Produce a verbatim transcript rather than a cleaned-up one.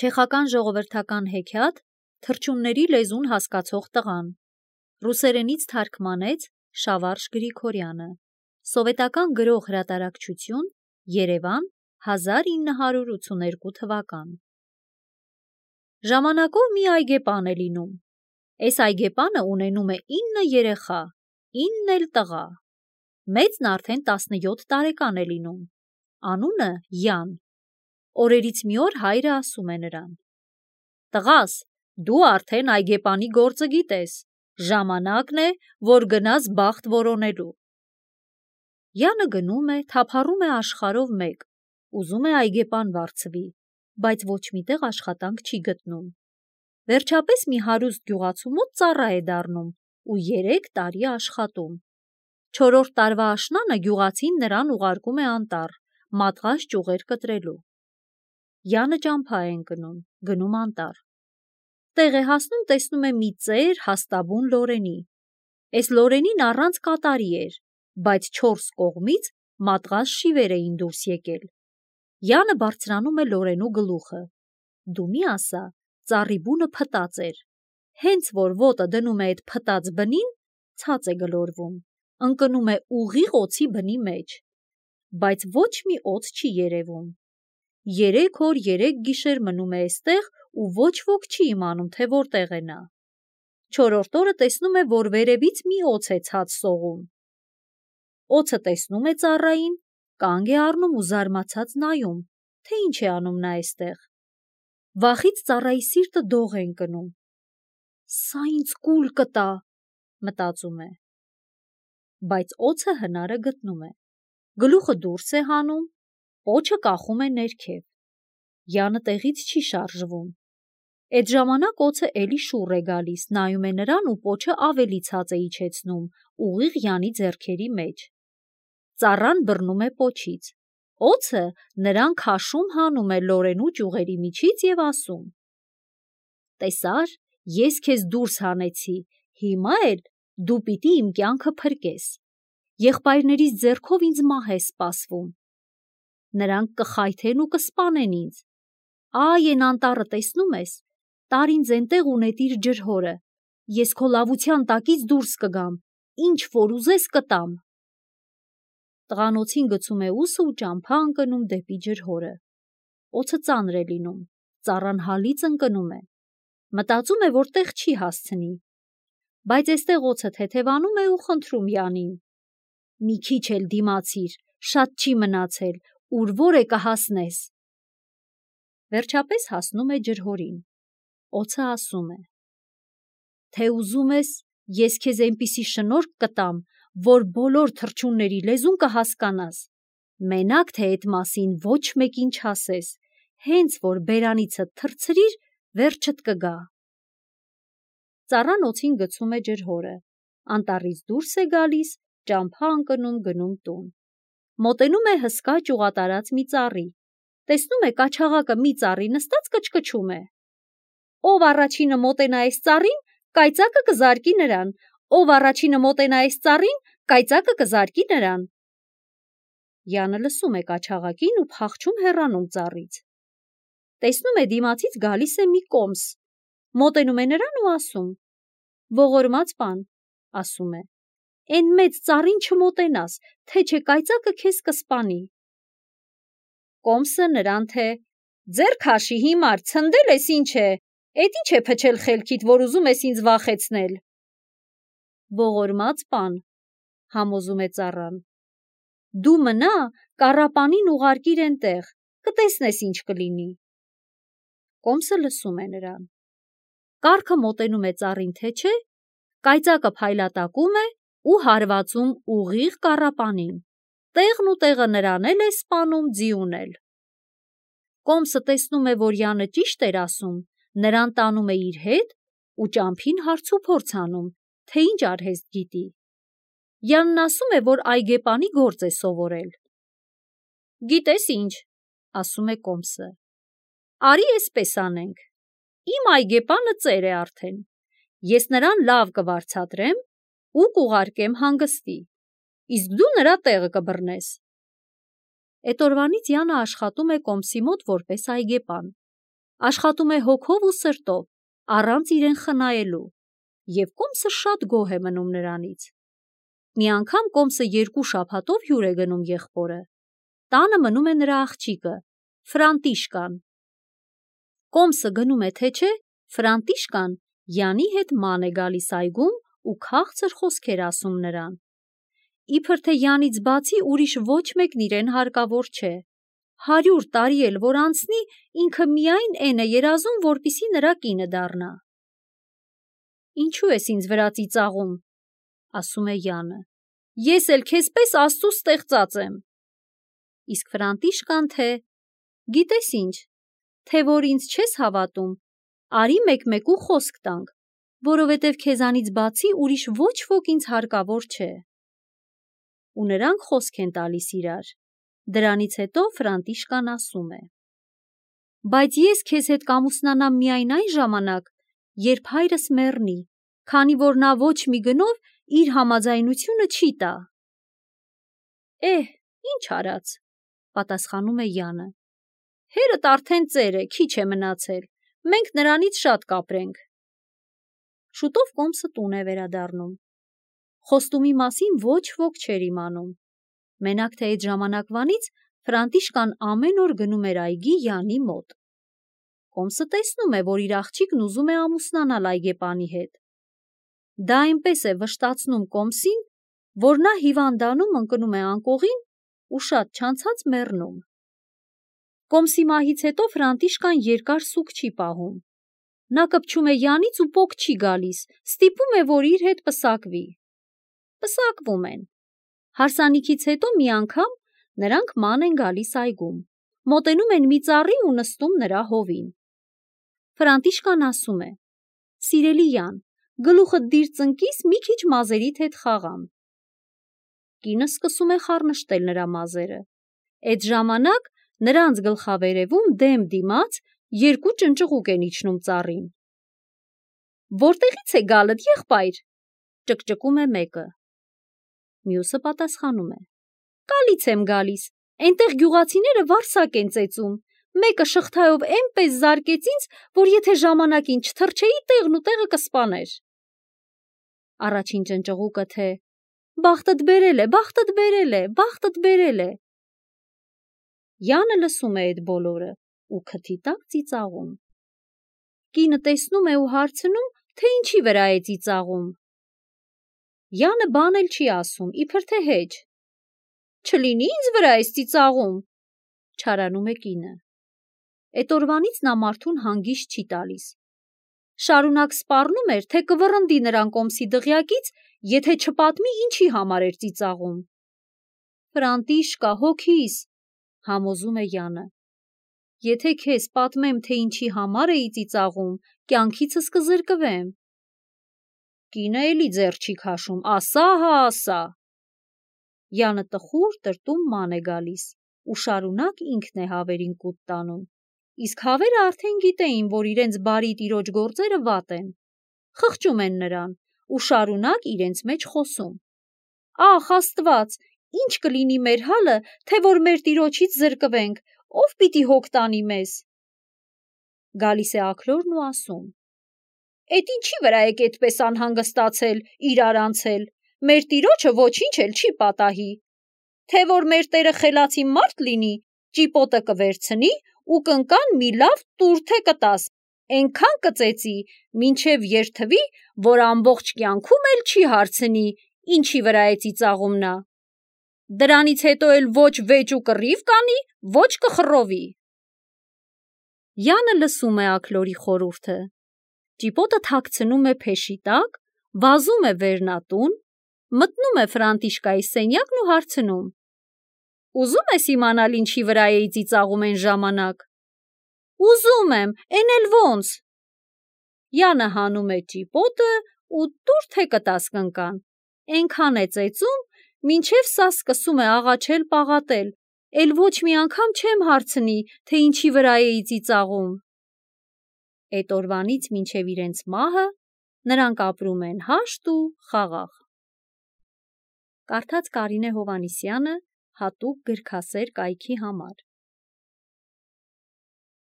Չեխական ժողովրդական հեքիաթ «Թռչունների լեզուն հասկացող տղան» ռուսերենից թարգմանեց Շավարժ Գրիգորյանը, սովետական գրող հրատարակչություն, Երևան, հազար ինը հարյուր ութսուներկու թվական։ Ժամանակով մի այգեպան է լինում։ Էս այգեպանը ունենում է ինը երեխա, ինն էլ տղա։ Մեծն արդեն տասնյոթ տարեկան է լինում։ Անունը Յան։ Օրերից մի օր հայրը ասում է նրան. «Տղաս, դու արդեն այգեպանի գործը գիտես, ժամանակն է, որ գնաս բախտ որոնելու»։ Յանը գնում է, թափառում է աշխարհով մեկ, ուզում է այգեպան վարձվի, բայց ոչ միտեղ աշխատանք չի գտնում։ Վերջապես մի հարուստ գյուղացու մոտ ծառա է դառնում ու երեք տարի աշխատում։ Չորրորդ տարվա աշնանը գյուղացին նրան ուղարկում է անտառ, մատղաշ ճյուղեր կտրելու։ Յանը ճամփա է ընկնում, գնում անտառ։ Տեղ է հասնում, տեսնում է մի ծեր հաստաբուն լորենի։ Էս լորենին առանց կատարի էր, բայց չորս կողմից մատղաշ շիվեր էին դուրս եկել։ Յանը բարձրանում է լորենու գլուխը։ Դու մի ասա, ծառի բունը փտած էր։ Հենց որ ոտը դնում է այդ փտած բնին, ցած է գլորվում, ընկնում է ուղիղ օձի բնի մեջ, բայց ոչ մի օձ չի երևում։ Երեք օր երեք գիշեր մնում է էստեղ ու ոչ ոք չի իմանում, թե որտեղ է նա։ Չորրորդ օրը տեսնում է, որ վերևից մի օձ է ցած սողում։ Օձը տեսնում է ծառային, կանգ է առնում ու զարմացած նայում, թե ինչ է անում նա էստեղ։ Վախից ծառայի սիրտը դող է ընկնում։ «Սա ինձ կուլ կտա», մտածում է։ Բայց օձը հնարը գտնում է։ Գլուխը դուրս է հանում, պոչը կախում է ներքև։ Յանը տեղից չի շարժվում։ Այդ ժամանակ օձը էլի շուռ է գալիս, նայում է նրան ու պոչը ավելի ցած է իջեցնում, ուղիղ Յանի ձեռքերի մեջ։ Ծառան բռնում է պոչից։ Օձը նրան քաշում հանում է լորենու ճյուղերի միջից և ասում. «Տեսա՞ր, ես քեզ դուրս հանեցի, հիմա էլ դու պիտի իմ կյանքը փրկես։ Եղբայրներիս ձեռքով ինձ մահ է սպասվում։ Նրանք կխայթեն ու կսպանեն ինձ։ Այ էն անտառը տեսնում ես, տար ինձ էնտեղ ու նետիր ջրհորը, ես քո լավության տակից դուրս կգամ, ինչ որ ուզես կտամ»։ Տղանոցին գցում է ուսը ու ճամփա ընկնում դեպի ջրհորը։ Օձը ծանր է լինում, ծառան հալից ընկնում է։ Մտածում է, որ տեղ չի հասցնի, բայց էստեղ օձը թեթևանում է ու խնդրում Յանին. «Մի քիչ էլ դիմացիր, շատ չի մնացել, ուր որ է կհասնես»։ Վերջապես հասնում է ջրհորին։ Օձը ասում է. «Թե ուզում ես, ես քեզ այնպիսի շնորհք կտամ, որ բոլոր թռչունների լեզուն կհասկանաս, մենակ թե էդ մասին ոչ մեկին չասես, հենց որ բերանիցդ թռցրիր, վերջդ կգա»։ Ծառան օձին գցում է ջրհորը, անտառից դուրս է գալիս, ճամփա ընկնում գնում տուն։ Մոտենում է հսկա ճյուղատարած մի ծառի, տեսնում է կաչաղակը մի ծառի նստած կչկչում է։ «Ով առաջինը մոտենա այս ծառին, կայծակը կզարկի նրան, ով առաջինը մոտենա այս ծառին, կայծակը կզարկի նրան»։ Յանը լսում է կաչաղակին ու փախչում հեռանում ծառից։ Տեսնում է դիմացից գալիս է մի կոմս, մոտենում է նրան ու ասում. «Ողորմած պան», ասում է, «էն մեծ ծառին չմոտենաս, թե չէ կայծակը քեզ կսպանի»։ Կոմսը նրան թե. «Ձեռ քաշի հիմար, ցնդել ես ինչ է, էդ ինչ է փչել խելքիդ, որ ուզում ես ինձ վախեցնել»։ «Ողորմած պան», համոզում է ծառան, «դու մնա, կառապանին ուղարկիր էնտեղ, կտեսնես ինչ կլինի»։ Կոմսը լսում է նրան։ Կառքը մոտենում է ծառին, թե չէ, կայծակը փայլատակում է ու հարվածում ուղիղ կառապանին, տեղն ու տեղը նրան էլ է սպանում, ձիուն էլ։ Կոմսը տեսնում է, որ Յանը ճիշտ էր ասում, նրան տանում է իր հետ ու ճամփին հարց ու փորձ անում, թե ինչ արհեստ գիտի։ Յանն ասում է, որ այգեպանի գործ է սովորել։ «Գիտես ինչ», ասում է կոմսը, «արի էսպես անենք, իմ այգեպանը ծեր է արդեն, ես նրան լավ կվարձատրեմ ու կուղարկեմ հանգստի, իսկ դու նրա տեղը կբռնես»։ Էդ օրվանից Յանը աշխատում է կոմսի մոտ որպես այգեպան։ աշխատում է հոգով ու սրտով, առանց իրեն խնայելու, և Կոմսը շատ գոհ է մնում նրանից։ Մի անգամ Կոմսը երկու շաբաթով հյուր է գնում եղբորը։ Տանը մնում է նրա աղջիկը, Ֆրանտիշկան։ Կոմսը գնում է թե չէ, Ֆրանտիշկան Յանի հետ ման է գալիս այգում ու քաղցր խոսքեր ասում նրան։ Իբր թե Յանից բացի ուրիշ ոչ մեկն իրեն հարկավոր չէ։ Հարյուր տարի էլ որ անցնի, ինքը միայն էն է երազում, որպեսզի նրա կինը դառնա։ Ինչու ես ինձ վրա ծիծաղում, ասում է Յանը, ես էլ քեզպես Աստծու ստեղծած եմ։ Իսկ Ֆրանտիշկան թե, գիտես ինչ, թե որ ինձ չես հավատում, արի մեկ-մեկու խոսք տանք, որովհետև քեզանից բացի ուրիշ ոչ ոք ինձ հարկավոր չէ։ Ու նրանք խոսք են տալիս իրար։ Դրանից հետո Ֆրանտիշկան ասում է. Բայց ես քեզ հետ կամուսնանամ միայն այն ժամանակ, երբ հայրս մեռնի, քանի որ նա ոչ մի գնով իր համաձայնությունը չի տա։ Էհ, ինչ արած, պատասխանում է Յանը։ Հերդ արդեն ծեր է, քիչ է մնացել, մենք նրանից շատ կապրենք։ Շուտով Կոմսը տուն է վերադառնում։ Խոստումի մասին ոչ ոք չէր իմանում։ Մենակ թե այդ ժամանակվանից Ֆրանտիշկան ամեն օր գնում էր այգի Յանի մոտ։ Կոմսը տեսնում է, որ իր աղջիկն ուզում է ամուսնանալ այգեպանի հետ։ Դա այնպես է վշտացնում Կոմսին, որ նա հիվանդանում ընկնում է անկողին ու շատ չանցած մեռնում։ Կոմսի մահից հետո Ֆրանտիշկան երկար սուգ չի պահում։ Նա կպչում է Յանից ու պոկ չի գալիս, ստիպում է, որ իր հետ պսակվի։ Պսակվում են։ Հարսանիքից հետո մի անգամ նրանք ման են գալիս այգում, մոտենում են մի ծառի ու նստում նրա հովին։ Ֆրանտիշկան ասում է. Սիրելի Յան, գլուխդ դիր ծնկիս մի քիչ մազերիդ հետ խաղամ։ Կինը սկսում է խառնշտել նրա մազերը։ Այդ ժամանակ նրանց գլխավերևում դեմ դիմաց երկու ճնճղուկ են իջնում ծառին։ Որտեղից է գալդ, եղբայր, ճկճկում է մեկը։ Մյուսը պատասխանում է. Կալից եմ գալիս, այնտեղ գյուղացիները վարսակ են ծեծում, մեկը շղթայով էնպես զարկեց ինձ, որ եթե ժամանակին չթռչեի, տեղն ու տեղը կսպաներ։ Առաջին ճնճղուկը թե բախտդ բերել է, բախտդ բերել է, բախտդ բերել է։ Յանը լսում է այդ բոլորը ու քթի տակ ծիծաղում։ Կինը տեսնում է ու հարցնում, թե ինչի վրա է ծիծաղում։ Յանը բան էլ չի ասում, իբր թե հեչ։ Չլինի ինձ վրա ես ծիծաղում, չարանում է կինը։ Այդ օրվանից նա մարդուն հանգիստ չի տալիս։ Շարունակ սպառնում էր, թե կվռնդի նրան Կոմսի դղյակից, եթե չպատմի ինչի համար էր ծիծաղում։ Ֆրանտիշկա, հոգիս, համոզում է Յանը։ Եթե քեզ պատմեմ, թե ինչի համար էի ծիծաղում, կյանքիցս կզրկվեմ։ Կինը էլի ձեռ չի քաշում, ասա հա ասա։ Յանը տխուր տրտում ման է գալիս ու շարունակ ինքն է հավերին կուտ տանում, իսկ հավերը արդեն գիտեին, որ իրենց բարի տիրոջ գործերը վատ են, խղճում են նրան ու շարունակ իրենց մեջ խոսում. Ախ Աստված, ինչ կլինի մեր հալը, թե որ մեր տիրոջից զրկվենք, ով պիտի հոգ տանի մեզ։ Գալիս է աքլորն ու ասում. Էդ ինչի վրա եք այդպես անհանգստացել, իրար անցել, մեր տիրոջը ոչինչ էլ չի պատահի, թե որ մեր տերը խելացի մարդ լինի, ճիպոտը կվերցնի ու կնկան մի լավ տուրթե կտաս, այնքան կծեծի, մինչև երթվի, որ ամբողջ կյանքում էլ չի հարցնի, ինչի վրա է ծիծաղում նա։ Դրանից հետո էլ ոչ վեճ ու կռիվ կանի, ոչ կխռովի։ Յանը լսում է աքլորի խորհուրդը։ Ճիպոտը թաքցնում է փեշի տակ, վազում է վերնատուն, մտնում է Ֆրանտիշկայի սենյակն ու հարցնում. Ուզում ես իմանալ ինչի վրա էի ծիծաղում այն ժամանակ։ Ուզում եմ, էն էլ ոնց։ Յանը հանում է ճիպոտը ու տուրթե կտաս կնկան, այնքան է ծեծում, մինչև սա սկսում է աղաչել պաղատել, էլ ոչ մի անգամ չեմ հարցնի, թե ինչի վրա էի ծիծաղում։ Այդ օրվանից մինչև իրենց մահը նրանք ապրում են հաշտ ու խաղաղ։ Կարդաց Կարինե Հովհաննիսյանը հատուկ գրքասեր կայքի համար։